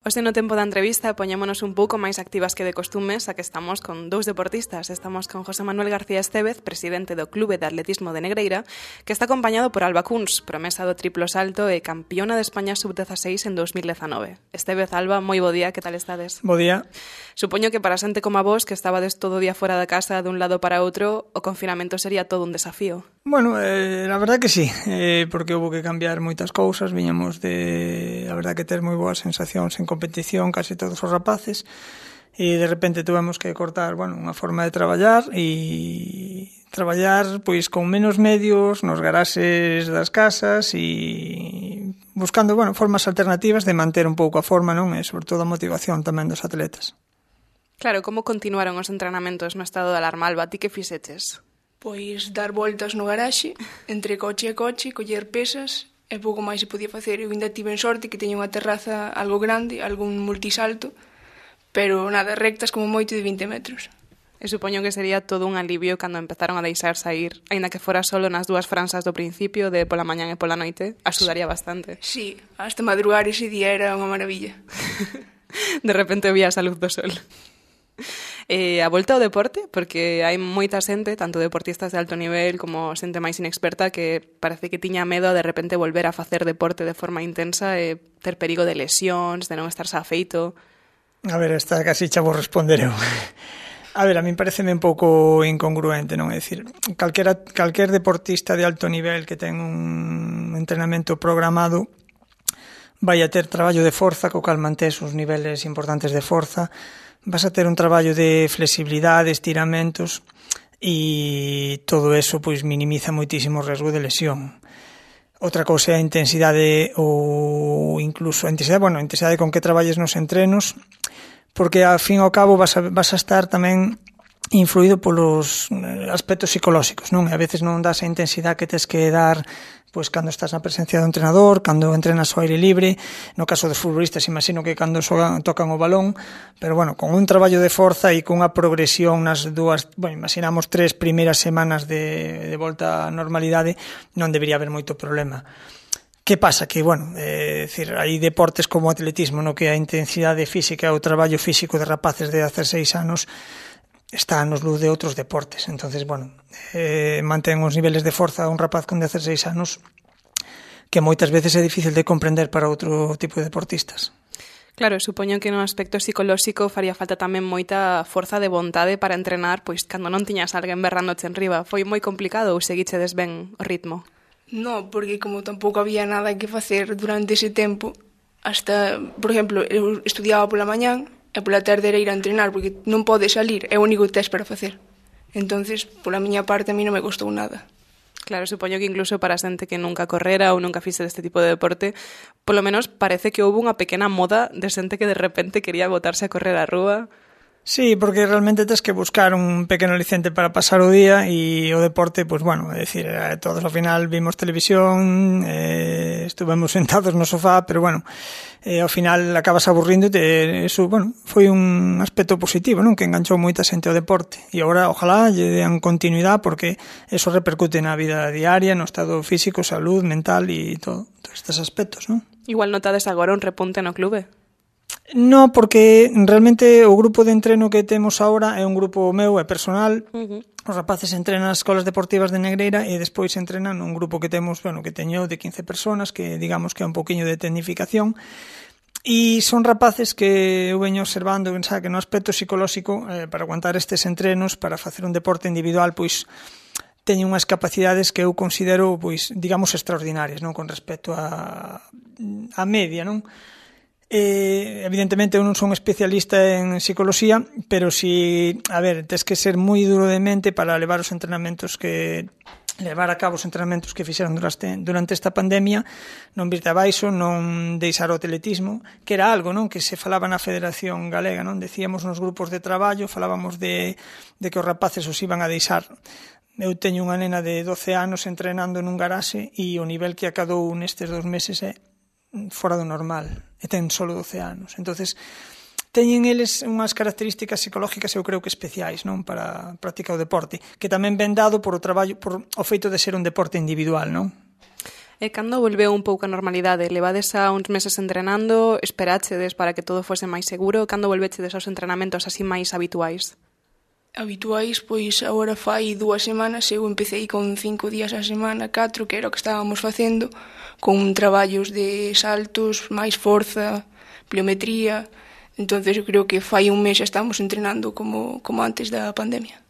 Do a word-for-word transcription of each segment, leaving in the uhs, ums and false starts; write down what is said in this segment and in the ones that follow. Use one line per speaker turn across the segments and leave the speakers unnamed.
Hoxe no tempo da entrevista poñémonos un pouco máis activas que de costumes, a que estamos con dous deportistas. Estamos con José Manuel García Estévez, presidente do Clube de Atletismo de Negreira, que está acompañado por Alba Cuns, promesa do triplo salto e campiona de España sub dieciséis en dos mil dezanove. Estévez, Alba, moi bo día, que tal estades?
Bo día.
Supoño que para xente como a vos, que estabades todo o día fora da casa dun lado para outro, o confinamento sería todo un desafío.
Bueno, eh, la verdad que sí, eh, porque houve que cambiar moitas cousas, viñamos de, a verdad que ter moi boas sensacións en competición, case todos os rapaces, e de repente tuvemos que cortar, bueno, unha forma de traballar e traballar pois con menos medios nos garaxes das casas e buscando, bueno, formas alternativas de manter un pouco a forma, non? E sobre todo a motivación tamén dos atletas.
Claro, como continuaron os entrenamentos no estado de alarma, Alba? Ti que fixeches?
Pois dar voltas no garaxe, entre coche e coche, coller pesas, e pouco máis se podía facer. Eu ainda tive en sorte que teña unha terraza algo grande, algún multisalto, pero nada, rectas como moito de vinte metros.
E supoño que sería todo un alivio cando empezaron a deixar sair, aínda que fora solo nas dúas franxas do principio, de pola mañán e pola noite, axudaría bastante.
Sí, hasta madrugar ese día era unha maravilla.
De repente vías a luz do sol. Eh, a volta ao deporte, porque hai moita xente, tanto deportistas de alto nivel como xente máis inexperta, que parece que tiña medo a de repente volver a facer deporte de forma intensa e ter perigo de lesións, de non estar afeito.
A ver, esta casi xa vou responder eu. A ver, a min pareceme un pouco incongruente, non? É dicir, calquera, calquer deportista de alto nivel que ten un entrenamento programado vai a ter traballo de forza, co cal mantés os niveles importantes de forza, vas a ter un traballo de flexibilidade, estiramentos e todo eso pois minimiza moitísimo o risco de lesión. Outra cousa é a intensidade ou incluso a intensidade, bueno, a intensidade con que traballes nos entrenos, porque ao fin e ao cabo vas a, vas a estar tamén influído polos aspectos psicolóxicos, non? E a veces non das a intensidade que tes que dar pois cando estás na presencia do entrenador, cando entrenas ao aire libre, no caso dos futbolistas imagino que cando xogan, tocan o balón, pero bueno, con un traballo de forza e con unha progresión nas dúas, bueno, imaginamos tres primeiras semanas de, de volta á normalidade, non debería haber moito problema. Que pasa? Que, bueno, é dicir, hai deportes como o atletismo, no que a intensidade física e o traballo físico de rapaces de dieciséis anos está nos luz de outros deportes. Entonces, bueno, eh, mantén os niveles de forza un rapaz con dieciséis anos que moitas veces é difícil de comprender para outro tipo de deportistas.
Claro, supoño que no aspecto psicolóxico faría falta tamén moita forza de vontade para entrenar, pois cando non tiñas alguén berrándoche en riba. Foi moi complicado ou seguichedes ben o ritmo?
No, porque como tampouco había nada que facer durante ese tempo, hasta, por exemplo, eu estudiaba pola mañán, e pola tarde era ir a entrenar, porque non pode salir, é o único que tes para facer. Entonces, pola miña parte, a mí non me costou nada.
Claro, supoño que incluso para xente que nunca correra ou nunca fixe deste tipo de deporte, polo menos parece que houve unha pequena moda de xente que de repente quería botarse a correr á rúa.
Sí, porque realmente tens que buscar un pequeno aliciente para pasar o día e o deporte, pues bueno, é dicir, todos ao final vimos televisión, eh, estuvemos sentados no sofá, pero bueno, eh, ao final acabas aburríndote, eso, bueno, foi un aspecto positivo, non? Que enganchou moita xente ao deporte e agora, ojalá, lle dean continuidade porque eso repercute na vida diaria, no estado físico, salud, mental e todo, todos estes aspectos, non?
Igual notades agora un repunte no clube?
No, porque realmente o grupo de entreno que temos agora é un grupo meu, é personal. Uh-huh. Os rapaces entrenan nas escolas deportivas de Negreira e despois entrenan un grupo que temos, bueno, que teño de quince personas, que digamos que é un poquinho de tecnificación. E son rapaces que eu veño observando, pensaba que no aspecto psicolóxico, eh, para aguantar estes entrenos, para facer un deporte individual, pois teñen unhas capacidades que eu considero, pois, digamos, extraordinarias, non, con respecto a a media, non? Eh, evidentemente eu non son especialista en psicología, pero si, a ver, tes que ser moi duro de mente para levar os entrenamentos que levar a cabo os entrenamentos que fixeron durante, durante esta pandemia, non virte abaixo, non deixar o atletismo, que era algo, non, que se falaba na Federación Galega, non, decíamos nos grupos de traballo, falábamos de, de que os rapaces os iban a deixar. Eu teño unha nena de doce anos entrenando nun garaxe e o nivel que acadou nestes dos meses é fora do normal, e ten solo doce anos. Entonces, teñen eles unhas características psicológicas, eu creo que especiais, non, para practicar o deporte, que tamén ven dado por o traballo, por o feito de ser un deporte individual, non?
E cando volveu un pouco a normalidade? Levades a uns meses entrenando, esperáchedes para que todo fose máis seguro? Cando volvechedes aos entrenamentos así máis habituais?
Habituais, pois agora fai dúas semanas, eu empecé con cinco días a semana, catro, que era o que estábamos facendo, con traballos de saltos, máis forza, pliometría. Entonces eu creo que fai un mes xa estamos entrenando como, como antes da pandemia.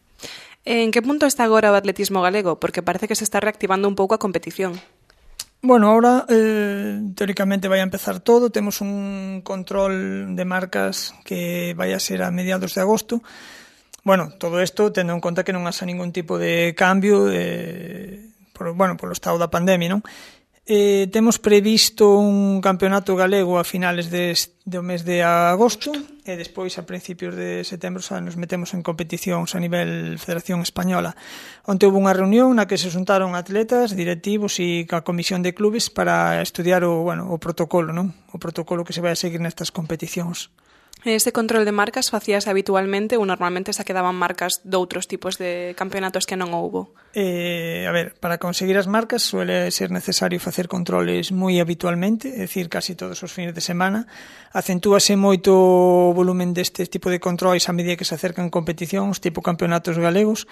En que punto está agora o atletismo galego? Porque parece que se está reactivando un pouco a competición.
Bueno, ahora eh, teóricamente vai a empezar todo. Temos un control de marcas que vai a ser a mediados de agosto. Bueno, todo isto tendo en conta que non haxa ningún tipo de cambio eh, por, bueno, polo estado da pandemia, non? Eh, temos previsto un campeonato galego a finales de, do mes de agosto e despois a principios de setembro xa nos metemos en competicións a nivel Federación Española, onde houve unha reunión na que se xuntaron atletas, directivos e a comisión de clubes para estudiar o, bueno, o protocolo, non? O protocolo que se vai a seguir nestas competicións.
Ese control de marcas facíase habitualmente ou normalmente se quedaban marcas de outros tipos de campeonatos que non houbo?
Eh, a ver, para conseguir as marcas suele ser necesario facer controles moi habitualmente, é dicir, casi todos os fines de semana. Acentúase moito o volumen deste tipo de controles a medida que se acercan competicións, tipo campeonatos galegos,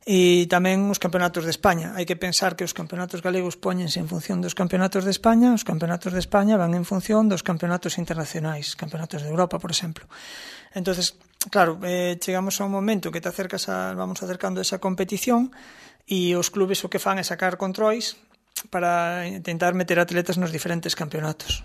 e tamén os campeonatos de España. Hai que pensar que os campeonatos galegos póñense en función dos campeonatos de España, os campeonatos de España van en función dos campeonatos internacionais, campeonatos de Europa, por exemplo. Entonces, claro, eh, chegamos a un momento que te acercas a, vamos acercando a esa competición e os clubes o que fan é sacar controis para intentar meter atletas nos diferentes campeonatos.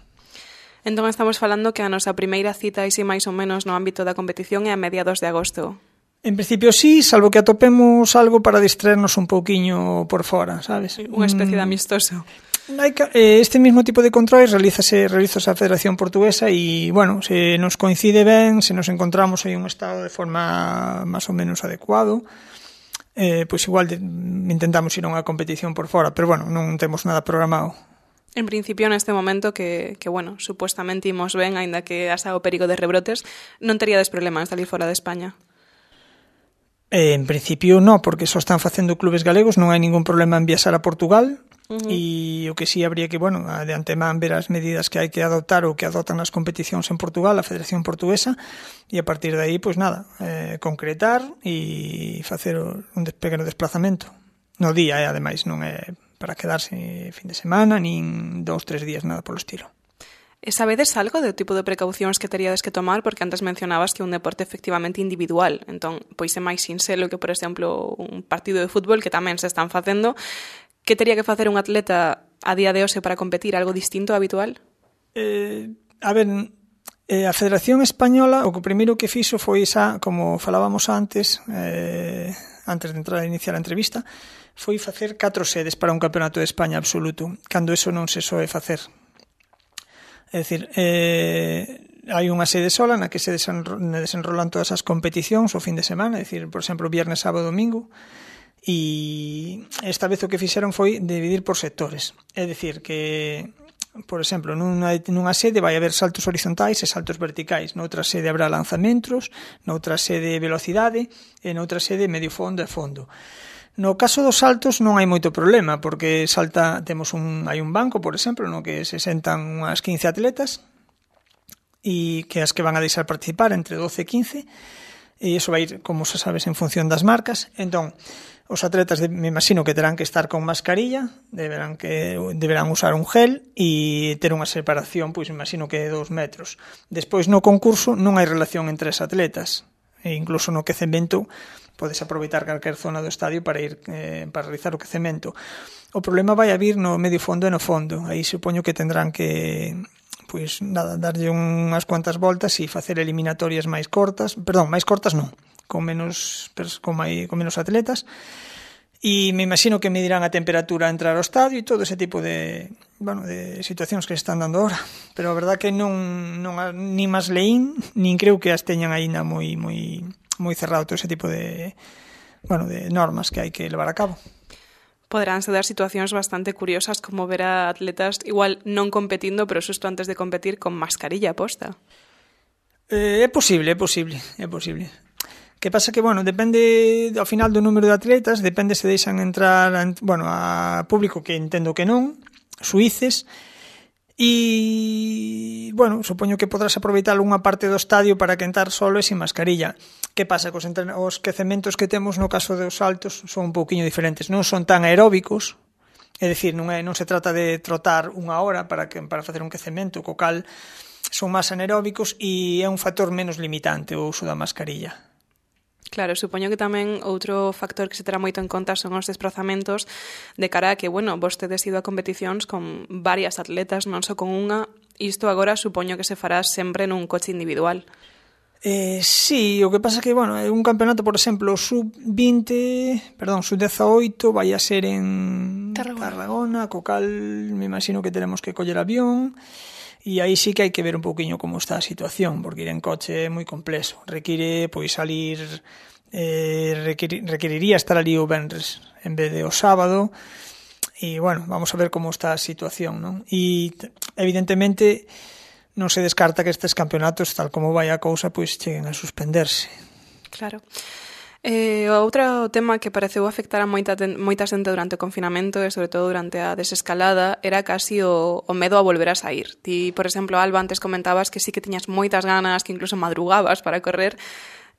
Entón estamos falando que a nosa primeira cita isi máis ou menos no ámbito da competición é a mediados de agosto.
En principio sí, salvo que atopemos algo para distraernos un pouquiño por fora, sabes?
Unha especie de amistoso.
Este mismo tipo de controles realízase, realízase a Federación Portuguesa e, bueno, se nos coincide ben, se nos encontramos aí un estado de forma máis ou menos adecuado, eh, pois igual de, intentamos ir a unha competición por fora, pero, bueno, non temos nada programado.
En principio, neste momento que, que bueno, supuestamente imos ben, aínda que asa o perigo de rebrotes, non teríades problema en salir fora de España?
Eh, en principio non, porque só están facendo clubes galegos, non hai ningún problema en viaxar a Portugal. Uh-huh. E o que sí habría que, bueno, de antemán ver as medidas que hai que adoptar ou que adoptan as competicións en Portugal, a Federación Portuguesa, e a partir de aí, pois nada, eh, concretar e facer un pequeno desplazamento. No día, eh, ademais, non é para quedarse fin de semana, nin dous, tres días, nada polo estilo.
E sabedes algo do tipo de precaucións que teríades que tomar? Porque antes mencionabas que é un deporte efectivamente individual, entón, pois é máis sinxelo que, por exemplo, un partido de fútbol que tamén se están facendo. Que tería que facer un atleta a día de hoxe para competir? Algo distinto habitual?
Eh, a ver, eh, a Federación Española o que primeiro que fixo foi esa, como falábamos antes, eh, antes de entrar a iniciar a entrevista, foi facer catro sedes para un campeonato de España absoluto, cando eso non se soe facer. É dicir, eh, hai unha sede sola na que se desenrolan todas as competicións o fin de semana, é dicir, por exemplo, viernes, sábado, domingo, e esta vez o que fixeron foi dividir por sectores. É dicir, que, por exemplo, nunha, nunha sede vai haber saltos horizontais e saltos verticais, noutra sede habrá lanzamentos, noutra sede velocidade e noutra sede medio fondo e fondo. No caso dos saltos non hai moito problema, porque salta, temos un, hai un banco, por exemplo, no que se sentan unhas quince atletas e que as que van a deixar participar entre doce e quince, e iso vai ir, como se sabes, en función das marcas. Entón, os atletas, de, me imagino que terán que estar con mascarilla, deberán que deberán usar un gel e ter unha separación, pois imagino que de dous metros. Despois, no concurso, non hai relación entre as atletas, e incluso no quecemento podes aproveitar calquer zona do estadio para ir eh, para realizar o quecemento. O problema vai a vir no medio fondo e no fondo. Aí supoño que tendrán que, pois nada, darlle unhas cuantas voltas e facer eliminatorias máis cortas, perdón, máis cortas non, con menos con, mai, con menos atletas. E me imagino que medirán a temperatura a entrar ao estadio e todo ese tipo de, bueno, de situacións que se están dando ahora. Pero a verdad que non, non ni máis leín, nin creo que as teñan aínda moi moi moi cerrado todo ese tipo de, bueno, de normas que hai que levar a cabo.
Poderánse dar situacións bastante curiosas, como ver a atletas igual non competindo, pero xusto antes de competir con mascarilla posta.
Eh, é posible, é posible, é posible. Que pasa que, bueno, depende ao final do número de atletas, depende se deixan entrar, bueno, a público, que entendo que non, suíces, e, bueno, supoño que podrás aproveitar unha parte do estadio para quentar solo e sin mascarilla. Que pasa? Cos os quecementos que temos no caso dos saltos son un pouquiño diferentes, non son tan aeróbicos, é dicir, non, é, non se trata de trotar unha hora para, que, para facer un quecemento, co cal son máis anaeróbicos e é un factor menos limitante o uso da mascarilla.
Claro, supoño que tamén outro factor que se terá moito en conta son os desprazamentos de cara a que, bueno, vostedes ido a competicións con varias atletas, non só con unha, isto agora supoño que se fará sempre nun coche individual.
Eh, sí, o que pasa que, bueno, un campeonato, por exemplo, sub vinte, perdón, sub dezaoito vai a ser en
Tarragona,
Tarragona, co cal me imagino que teremos que coller avión. E aí sí que hai que ver un pouquiño como está a situación, porque ir en coche é moi complexo. Require, pois, salir, eh, requir, requeriría estar ali o venres en vez de o sábado, e, bueno, vamos a ver como está a situación, non? E, evidentemente, non se descarta que estes campeonatos, tal como vai a cousa, pois, cheguen a suspenderse.
Claro. Eh, outro tema que pareceu afectar a moita, moita xente durante o confinamento e sobre todo durante a desescalada era casi o, o medo a volver a sair. Ti, por exemplo, Alba, antes comentabas que sí que tiñas moitas ganas, que incluso madrugabas para correr.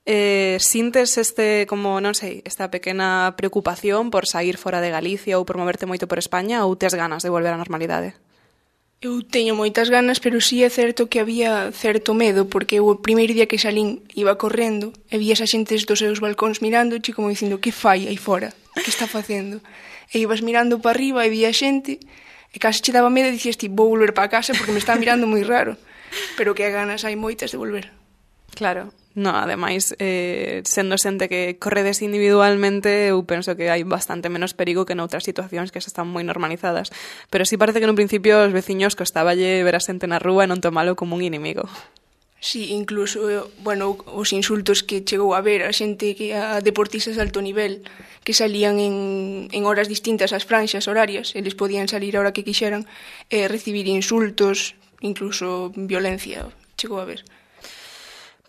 Eh, sintes este, como, non sei, esta pequena preocupación por sair fora de Galicia ou por moverte moito por España, ou tes ganas de volver á normalidade?
Eu teño moitas ganas, pero sí é certo que había certo medo, porque o primeiro día que salín iba correndo e vi esa xente dos seus balcóns mirando, e como dicindo, que fai aí fora? Que está facendo? E ibas mirando para arriba e vi a xente, e case che daba medo e dicías ti, vou volver para casa porque me está mirando moi raro. Pero que ganas hai moitas de volver.
Claro. No, ademais, eh, sendo xente que corredes individualmente, eu penso que hai bastante menos perigo que noutras situacións que xa están moi normalizadas. Pero sí parece que nun principio os veciños costaballe ver a xente na rúa e non tomalo como un inimigo.
Sí, incluso, bueno, os insultos que chegou a ver a xente que a deportistas de alto nivel que salían en, en horas distintas ás franxas horarias, eles podían salir a hora que quixeran e recibir insultos, incluso violencia, chegou a ver.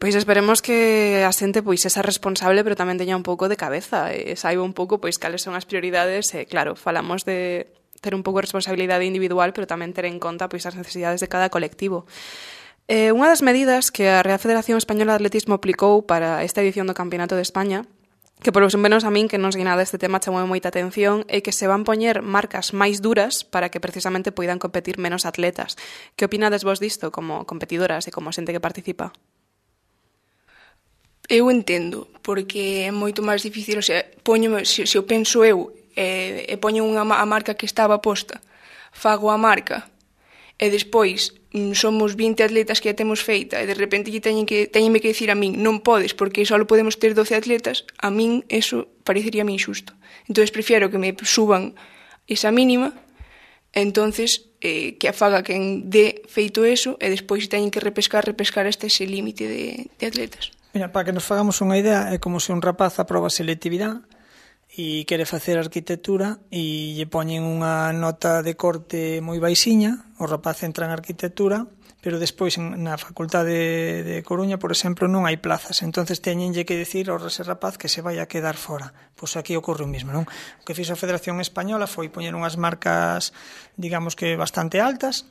Pois esperemos que a xente pois esa responsable, pero tamén teña un pouco de cabeza e saiba un pouco pois cales son as prioridades e claro, falamos de ter un pouco de responsabilidade individual, pero tamén ter en conta pois as necesidades de cada colectivo. Eh, unha das medidas que a Real Federación Española de Atletismo aplicou para esta edición do Campeonato de España, que por lo menos a min que non sei nada deste tema chamou moita atención, é que se van poñer marcas máis duras para que precisamente poidan competir menos atletas. Que opinades vos disto como competidoras e como xente que participa?
Eu entendo, porque é moito máis difícil, o sea, poño, se, se eu penso eu e, e poño unha, a marca que estaba posta, fago a marca e despois somos vinte atletas que a temos feita e de repente teñen que, teñenme que dicir a min non podes porque só podemos ter doce atletas, a min eso pareceríame injusto. Entón prefiero que me suban esa mínima, entonces eh, que a faga quen dé feito eso e despois teñen que repescar, repescar hasta ese límite de, de atletas.
Mira, para que nos fagamos unha idea, é como se un rapaz aproba selectividade e quere facer arquitectura e lle poñen unha nota de corte moi baixiña, o rapaz entra en arquitectura, pero despois na Facultade de Coruña, por exemplo, non hai plazas, entonces teñenlle que decir ao ese rapaz que se vai a quedar fora. Pois aquí ocorre o mesmo, non? O que fixo a Federación Española foi poñer unhas marcas, digamos que bastante altas.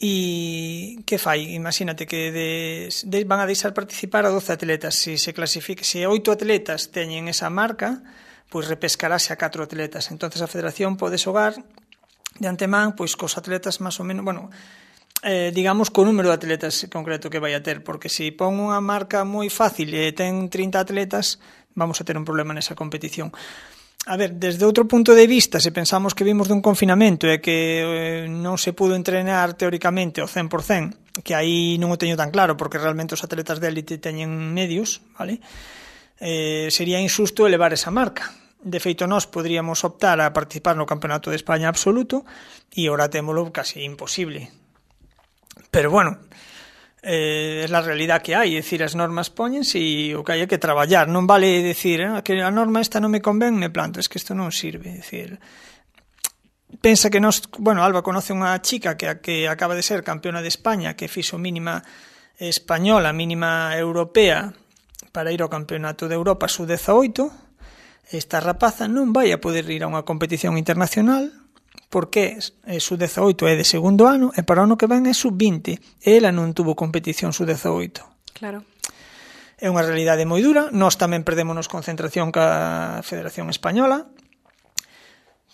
E que fai? Imagínate que de, de, van a deixar participar a doce atletas. Se se clasifique, se oito atletas teñen esa marca, pois repescarase a catro atletas. Entonces a Federación pode xogar de antemán pois cos atletas máis ou menos, bueno, eh, digamos co número de atletas concreto que vai a ter, porque se pon unha marca moi fácil e ten trinta atletas, vamos a ter un problema nesa competición. A ver, desde outro punto de vista, se pensamos que vimos dun confinamento e que eh, non se pudo entrenar teóricamente ao cen por cen, que aí non o teño tan claro, porque realmente os atletas de élite teñen medios, vale? Eh, sería injusto elevar esa marca. De feito, nós poderíamos optar a participar no Campeonato de España absoluto e ora témolo casi imposible. Pero bueno, eh, é a realidad que hai, é dicir, as normas póñense e o que hai é que traballar, non vale decir eh, que a norma esta non me convén, me planto, es que isto non sirve, é dicir, pensa que nos, bueno, Alba conoce unha chica que, que acaba de ser campeona de España, que fixo mínima española, mínima europea para ir ao Campeonato de Europa sub dezaoito. Esta rapaza non vai a poder ir a unha competición internacional porque é sub dezaoito é de segundo ano e para o ano que ven é sub vinte e ela non tuvo competición sub dezaoito.
Claro.
É unha realidade moi dura, nós tamén perdémonos concentración ca Federación Española,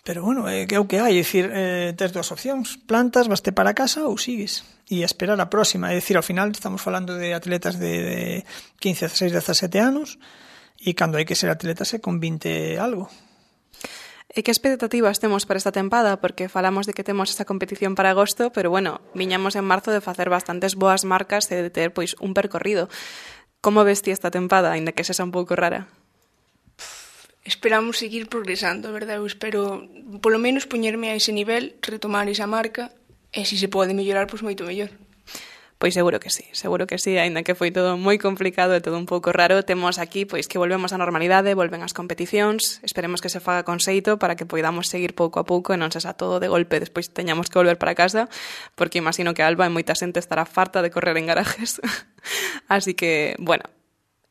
pero bueno, é que é o que hai, é dicir, eh, tes dúas opcións, plantas, vaste para casa ou sigues e esperar a próxima, é dicir, ao final estamos falando de atletas de, de quince, dezasseis, dezasete anos e cando hai que ser atletas é con vinte algo.
E que expectativas temos para esta tempada? Porque falamos de que temos esta competición para agosto, pero bueno, viñamos en marzo de facer bastantes boas marcas e de ter pois un percorrido. Como ves ti esta tempada, ainda que sexa un pouco rara?
Esperamos seguir progresando, verdad? Eu espero, polo menos, poñerme a ese nivel, retomar esa marca, e se se pode mellorar, pois moito mellor.
Pois seguro que sí, seguro que sí, aínda que foi todo moi complicado e todo un pouco raro, temos aquí pois que volvemos á normalidade, volven as competicións, esperemos que se faga con xeito para que poidamos seguir pouco a pouco e non se xa todo de golpe, despois teñamos que volver para casa, porque imagino que Alba e moita xente estará farta de correr en garajes. Así que, bueno,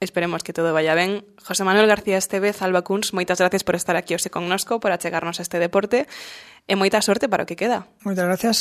esperemos que todo vaya ben. José Manuel García Estévez, Alba Kunz, moitas gracias por estar aquí hoxe connosco, por achegarnos a este deporte e moita sorte para o que queda.
Moitas gracias.